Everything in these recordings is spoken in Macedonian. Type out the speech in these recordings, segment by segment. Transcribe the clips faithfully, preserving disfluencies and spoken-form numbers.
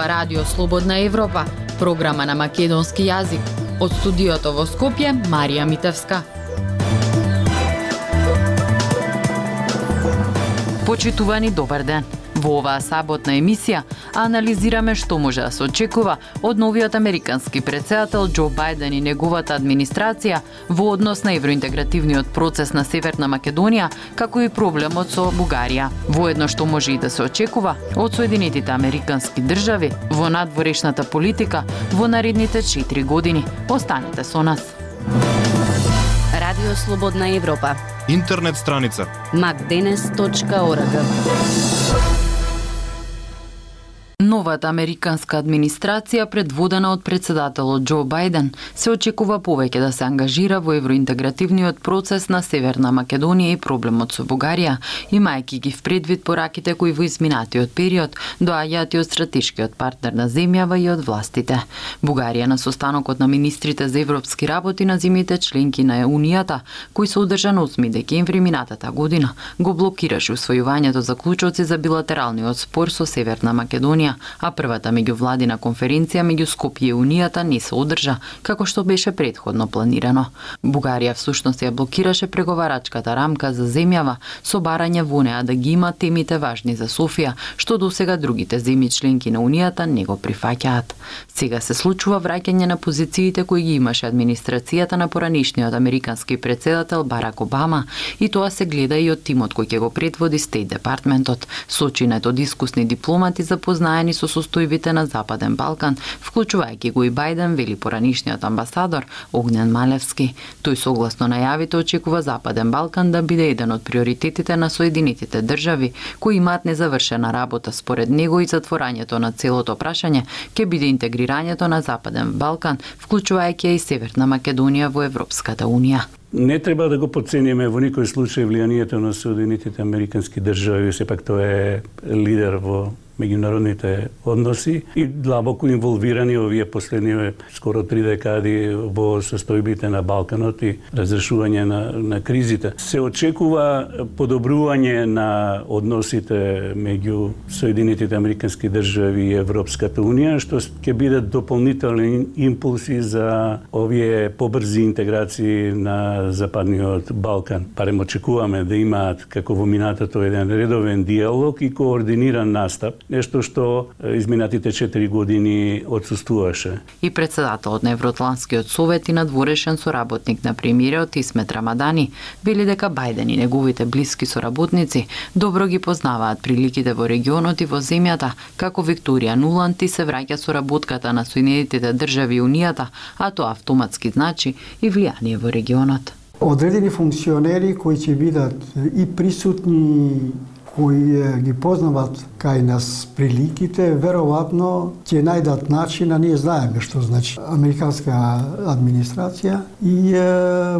Ова Радио Слободна Европа, програма на македонски јазик. Од студиото во Скопје, Марија Митевска. Почитувани, добар ден. Во оваа саботна емисија анализираме што може да се очекува од новиот американски претседател Џо Бајден и неговата администрација во однос на евроинтегративниот процес на Северна Македонија, како и проблемот со Бугарија. Воедно што може и да се очекува од Соединетите Американски држави во надворешната политика во наредните четири години. Останете со нас. Радио Слободна Европа. Интернет страница макденес точка орг. Новата американска администрација, предводена од председателот Џо Бајден, се очекува повеќе да се ангажира во евроинтегративниот процес на Северна Македонија и проблемот со Бугарија, имајќи ги впредвид пораките кои во изминатиот период доаѓаат и од стратешкиот партнер на земјава и од властите. Бугарија на состанокот на министрите за европски работи на земјите членки на Унијата, кој се одржа на осми декември минатата година, го блокираше усвојувањето заклучоци за билатералниот спор со Северна Македонија, а првата меѓувладина конференција меѓу Скопје и Унијата не се одржа, како што беше претходно планирано. Бугарија всушност ја блокираше преговарачката рамка за земјава со барање во неа да ги има темите важни за Софија, што досега другите земји членки на Унијата не го прифаќаат. Сега се случува враќање на позициите кои ги имаше администрацијата на поранешниот американски претседател Барак Обама, и тоа се гледа и од тимот кој ќе го предводи Стейт департментот, сочинет од искусни дипломати запознаени со состојбите на Западен Балкан, вклучувајќи го и Бајден, вели поранешниот амбасадор Огнен Малевски. Тој согласно најавите очекува Западен Балкан да биде еден од приоритетите на Соединетите држави, кои имаат незавршена работа. Според него и затворањето на целото прашање ќе биде интегрирањето на Западен Балкан, вклучувајќи и Северна Македонија во Европската унија. Не треба да го подцениме во никој случај влијанието на Соединетите Американски држави, сепак тој е лидер во меѓународните односи и длабоко инволвирани овие последни скоро три декади во состојбите на Балканот и разрешување на, на кризите. Се очекува подобрување на односите меѓу Соединетите Американски држави и Европската унија, што ќе бидат дополнителни импулси за овие побрзи интеграции на Западниот Балкан. Парем очекуваме да имаат, како во минатото, еден редовен диалог и координиран настап, нешто што изминатите четири години отсуствуваше. И председателот на Евроатлантскиот совет и надворешен соработник на премиерот Исмет Рамадани вели дека Бајден и неговите блиски соработници добро ги познаваат приликите во регионот и во земјата, како Викторија Нуланд и се враќа соработката на Соединетите држави и Унијата, а тоа автоматски значи и влијание во регионот. Одредени функционери кои ќе бидат и присутни, кои ги познават кај нас приликите, веројатно ќе најдат начин, а ние знаеме што значи американска администрација и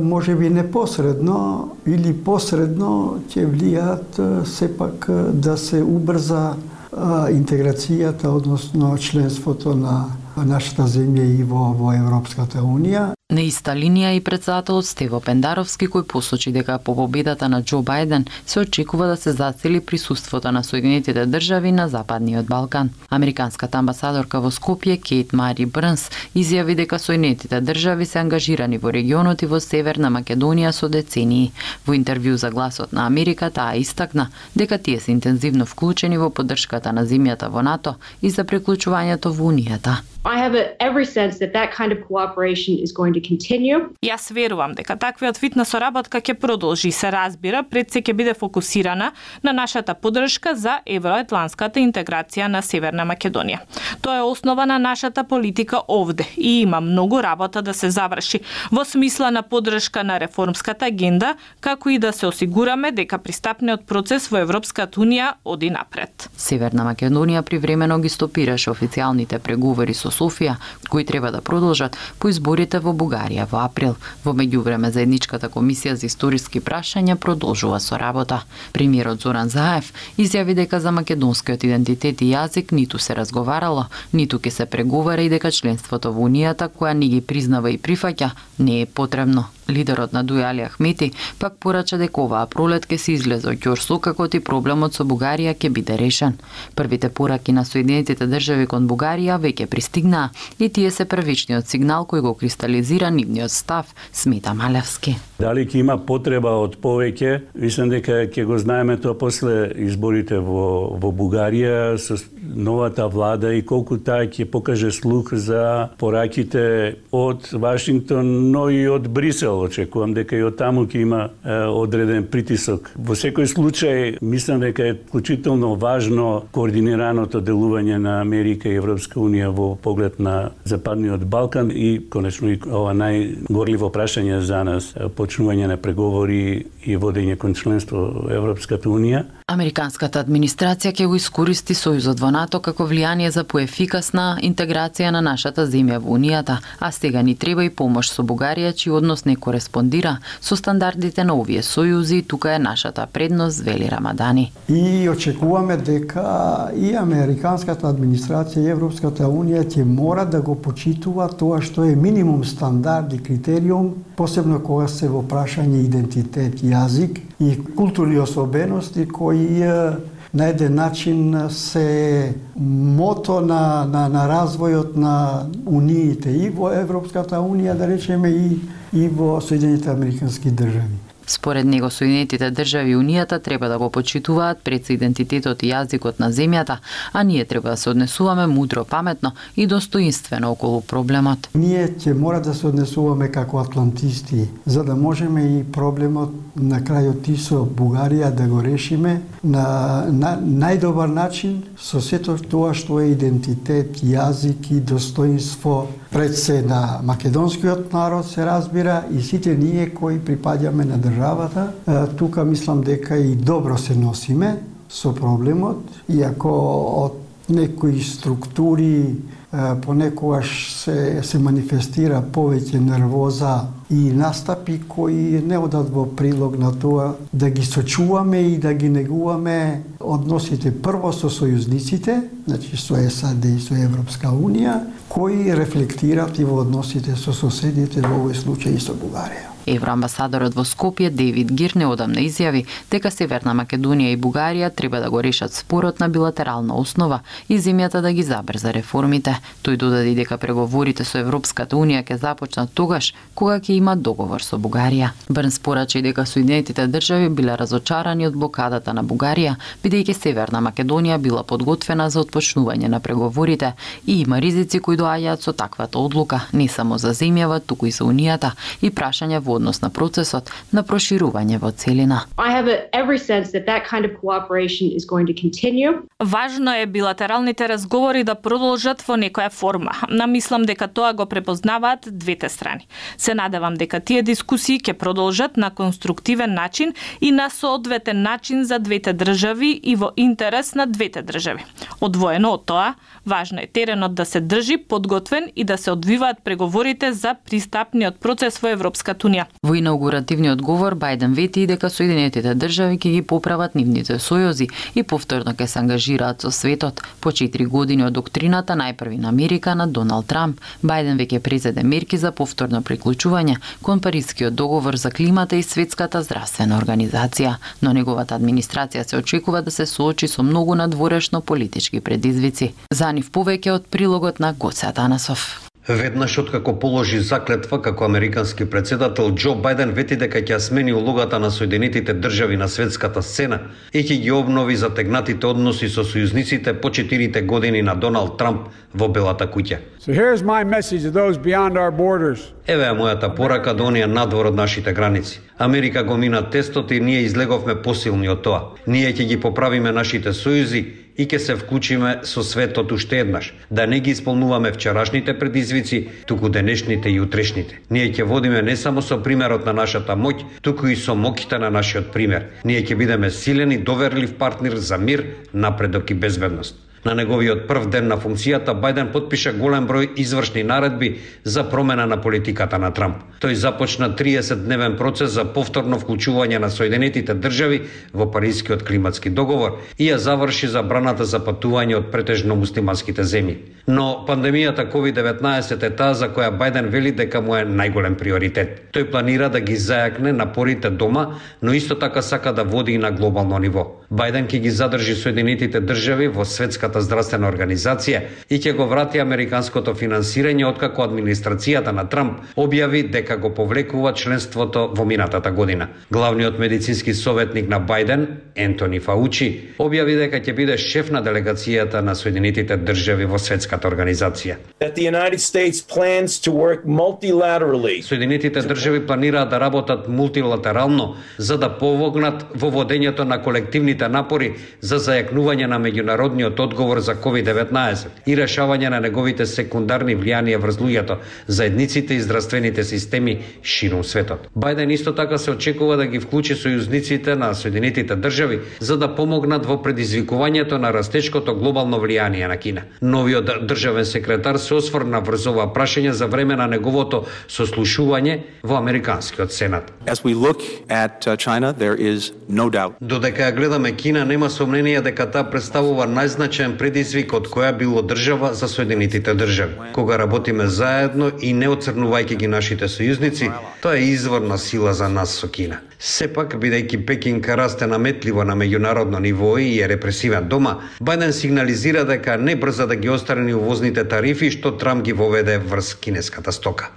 може би непосредно или посредно ќе влијаат сепак да се убрза интеграцијата, односно членството на нашата земја и во, во Европската унија. На иста линија и председателот Стево Пендаровски, кој посочи дека по победата на Џо Бајден се очекува да се зацели присуството на Соединетите држави на Западниот Балкан. Американската амбасадорка во Скопје Кейт Мари Брнс изјави дека Соединетите држави се ангажирани во регионот и во Северна Македонија со децении. Во интервју за Гласот на Америка таа истакна дека тие се интензивно вклучени во поддршката на земјата во НАТО и за приклучувањето во Унијата. I have a, every sense that that kind of cooperation is going to continue. Јас верувам дека таквиот вид на соработка ќе продолжи, се разбира, пред се ќе биде фокусирана на нашата поддршка за евроатлантската интеграција на Северна Македонија. Тоа е основа на нашата политика овде и има многу работа да се заврши во смисла на поддршка на реформската агенда, како и да се осигураме дека пристапниот процес во Европската унија оди напред. Северна Македонија привремено ги стопираше официјалните преговори со Софија, кои треба да продолжат по изборите во Бугарија во април. Во меѓувреме заедничката комисија за историски прашања продолжува со работа. Премиерот Зоран Заев изјави дека за македонскиот идентитет и јазик ниту се разговарало, ниту ќе се преговара и дека членството во Унијата, која не ги признава и прифаќа, не е потребно. Лидерот на Дуј Али Ахмети пак порача дека оваа пролет ќе се излезе од ќорсокакот и проблемот со Бугарија ќе биде решен. Првите пораки на Соединетите држави кон Бугарија веќе пристигнаа и тие се првичниот сигнал кој го кристализира нивниот став, смета Малевски. Дали ќе има потреба од повеќе? Мислам дека ќе го знаеме тоа после изборите во во Бугарија со новата влада и колку таа ќе покаже слух за пораките од Вашингтон, но и од Брисел. Очекувам дека и од таму ќе има е, одреден притисок. Во секој случај, мислам дека е вклучително важно координираното делување на Америка и Европска унија во поглед на Западниот Балкан и конечно и ова најгорливо прашање за нас, почнување на преговори и водење кон членство во Европската унија. Американската администрација ќе го искористи сојузот во НАТО како влијание за поефикасна интеграција на нашата земја во Унијата, а сега ни треба и помош со Бугарија, чиј однос не кореспондира со стандардите на овие сојузи, тука е нашата предност, вели Рамадани. И очекуваме дека и американската администрација и Европската унија ќе мора да го почитува тоа што е минимум стандард и критериум, посебно кога се во прашање идентитет, јазик и културни особености кои на еден начин се мото на, на, на развојот на униите и во Европската унија, да речеме, и, и во Соединетите американски држави. Според него, Соединетите држави и Унијата треба да го почитуваат пред идентитетот и јазикот на земјата, а ние треба да се однесуваме мудро, паметно и достоинствено околу проблемот. Ние ќе мора да се однесуваме како атлантисти, за да можеме и проблемот на крајот и со Бугарија да го решиме на, на најдобар начин со сето тоа што е идентитет, јазик и достоинство пред се на македонскиот народ, се разбира, и сите ние кои припаѓаме на државата. Тука мислам дека и добро се носиме со проблемот, иако од некои структури понекогаш се, се манифестира повеќе нервоза и настапи кои не одат во прилог на тоа да ги сочуваме и да ги негуваме односите прво со сојузниците, значи со САД и со Европска унија, кои рефлектират и во односите со соседите, во овој случај и со Бугарија. Евроамбасадорот во Скопје Дейвид Гир неодамна изјави дека Северна Македонија и Бугарија треба да го решат спорот на билатерална основа и земјата да ги забрза реформите. Тој додаде дека преговорите со Европската унија ќе започнат тогаш кога ќе има договор со Бугарија. Брнс порача и дека Соединетите држави биле разочарани од блокадата на Бугарија, бидејќи Северна Македонија била подготвена за отпочнување на преговорите и има ризици кои доаѓаат со таквата одлука, не само за земјава, туку и за Унијата и прашања во однос на процесот на проширување во целина. I have a, every sense that that kind of cooperation is going to continue. Важно е билатералните разговори да продолжат во некоја форма. Намислам дека тоа го препознаваат двете страни. Се надевам дека тие дискусии ќе продолжат на конструктивен начин и на соодветен начин за двете држави и во интерес на двете држави. Одвоено од тоа, важно е теренот да се држи подготвен и да се одвиваат преговорите за пристапниот процес во Европската унија. Во инаугуративниот говор Бајден вети и дека Соединетите држави ќе ги поправат нивните сојузи и повторно ќе се ангажираат со светот. По четири години од доктрината најпрви на Америка на Доналд Трамп, Бајден веќе презеде мерки за повторно приклучување кон Парискиот договор за климата и Светската здравствена организација, но неговата администрација се очекува да се соочи со многу надворешно политички предизвици. За нив повеќе од прилогот на Гоце Атанасов. Веднаш откако положи заклетва како американски претседател, Џо Бајден вети дека ќе смени улогата на Соединетите држави на светската сцена и ќе ги обнови затегнатите односи со сојузниците по четирите години на Доналд Трамп во Белата куќа. So here's my message to those beyond our borders. Еве е мојата порака до оние надвор од нашите граници. Америка го мина тестот и ние излеговме посилни од тоа. Ние ќе ги поправиме нашите сојузи и ќе се вклучиме со светот уште еднаш, да не ги исполнуваме вчерашните предизвици, туку денешните и утрешните. Ние ќе водиме не само со примерот на нашата моќ, туку и со моќта на нашиот пример. Ние ќе бидеме силен и доверлив партнер за мир, напредок и безбедност. На неговиот прв ден на функцијата, Бајден потпиша голем број извршни наредби за промена на политиката на Трамп. Тој започна триесет-дневен процес за повторно вклучување на Соединетите држави во Парискиот климатски договор и ја заврши забраната за патување од претежно муслиманските земји. Но пандемијата ковид деветнаесет е таа за која Бајден вели дека му е најголем приоритет. Тој планира да ги зајакне напорите дома, но исто така сака да води и на глобално ниво. Бајден ќе ги задржи Соединетите држави во Светската здравствена организација и ќе го врати американското финансирање откако администрацијата на Трамп објави дека го повлекува членството во минатата година. Главниот медицински советник на Бајден, Ентони Фаучи, објави дека ќе биде шеф на делегацијата на Соединетите држави во Светската организација. Соединетите држави планираат да работат мултилатерално за да помогнат во водењето на колективните напори за зајакнување на меѓународниот одговор за ковид деветнаесет и решавање на неговите секундарни влијанија врз луѓето, заедниците и здравствените системи ширум светот. Бајден исто така се очекува да ги вклучи сојузниците на Соединетите држави за да помогнат во предизвикувањето на растечкото глобално влијание на Кина. Новиот државен секретар се осврна врз ова прашање за време на неговото сослушување во Американскиот сенат. As we look at uh, China, there is no doubt. Додека ја гледаме Кина, нема сомнение дека таа представува најзначаен предизвик од која било држава за Соединетите држави. Кога работиме заедно и не оцрнувајќи ги нашите сојузници, тоа е изворна сила за нас со Кина. Сепак, бидејќи Пекинг расте наметливо на меѓународно ниво и е репресивен дома, Бајден сигнализира дека не брза да ги острани увозните тарифи што Трамп ги воведе врз кинеската стока.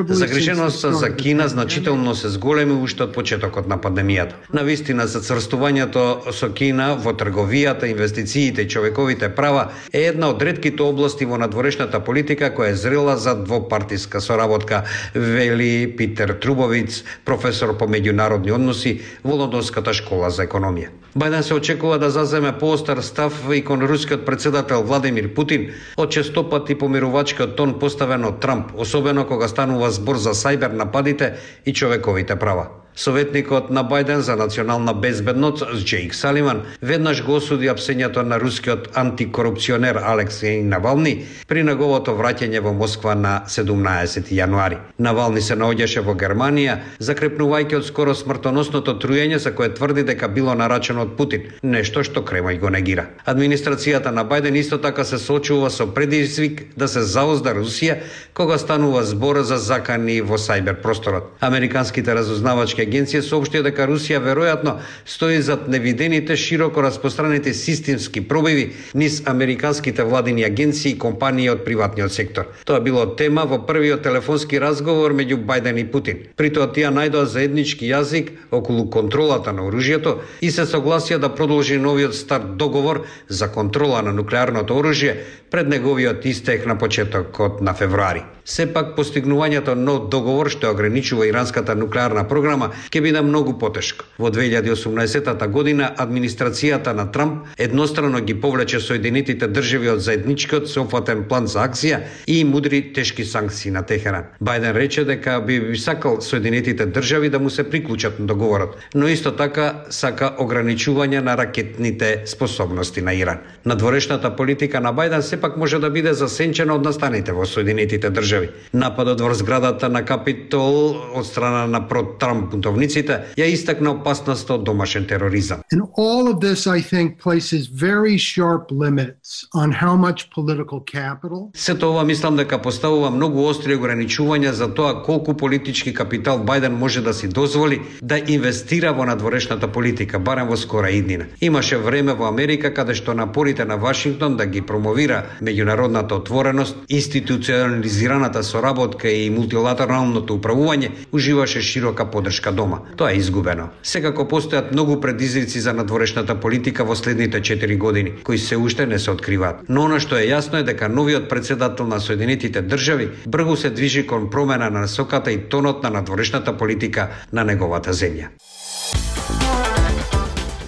Загриженоста за Кина значително се зголеми уште од почетокот на пандемијата. Навистина, зацрстувањето со Кина во трговијата, инвестициите и човековите права е една од ретките области во надворешната политика која е зрела за двопартиска соработка, вели Питер Трубовиц, професор по меѓународни односи во Лондонската школа за економија. Бајден се очекува да заземе поостар став и кон рускиот председател Владимир Путин од честопати помирувачкиот тон поставен од Трамп, особено кога станува збор за сајбер нападите и човековите права. Советникот на Бајден за национална безбедност Джейк Саливан веднаш го осуди апсењето на рускиот антикорупционер Алексеј Навални при неговото враќање во Москва на седумнаесети јануари. Навални се наоѓаше во Германија, закрепнувајќи од скоро смртоносното труење за кое тврди дека било нарачено од Путин, нешто што Кремљ го негира. Администрацијата на Бајден исто така се соочува со предизвик да се заозда Русија кога станува збор за закани во сајбер просторот. Американските разузнавачки агенција соопштија дека Русија веројатно стои зад невидените широко распространети системски пробиви низ американските владини агенции и компании од приватниот сектор. Тоа било тема во првиот телефонски разговор меѓу Бајден и Путин. При тоа тие најдоа заеднички јазик околу контролата на оружјето и се согласија да продолжи новиот стар договор за контрола на нуклеарното оружје пред неговиот истек на почетокот на февруари. Сепак постигнувањето нов договор што ограничува иранската нуклеарна програма ќе биде многу потешко. Во две илјади и осумнаесета година администрацијата на Трамп еднострано ги повлече Соединетите држави од заедничкиот сеопфатен план за акција и мудри тешки санкции на Техеран. Бајден рече дека би, би сакал Соединетите држави да му се приклучат на договорот, но исто така сака ограничување на ракетните способности на Иран. Надворешната политика на Бајден сепак може да биде засенчена од настаните во Соединетите држави. Нападот врз зградата на Капитол од страна на про-Трамп бунтовниците ја истакна опасноста од домашен тероризам. And all of this, I think, places very sharp limits on how much political capital. Сето ова мислам дека поставува многу остри ограничувања за тоа колку политички капитал Бајден може да си дозволи да инвестира во надворешната политика, барем во скора иднина. Имаше време во Америка каде што напорите на Вашингтон да ги промовира меѓународната отвореност, институционализираната соработка и мултилатералното управување уживаше широка поддршка дома. Тоа е изгубено. Секако постојат многу предизвици за надворешната политика во следните четири години, кои се уште не се откриваат. Но она што е јасно е дека новиот председател на Соединетите држави брзо се движи кон промена на насоката и тонот на надворешната политика на неговата земја.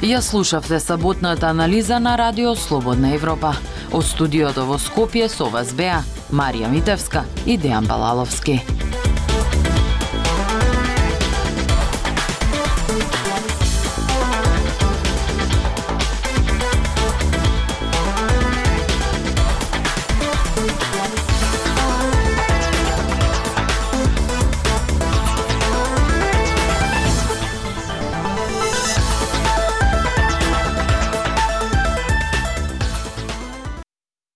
Ја слушавте саботната анализа на Радио Слободна Европа. Од студиото во Скопје со вас беа Марија Митевска и Дејан Балаловски.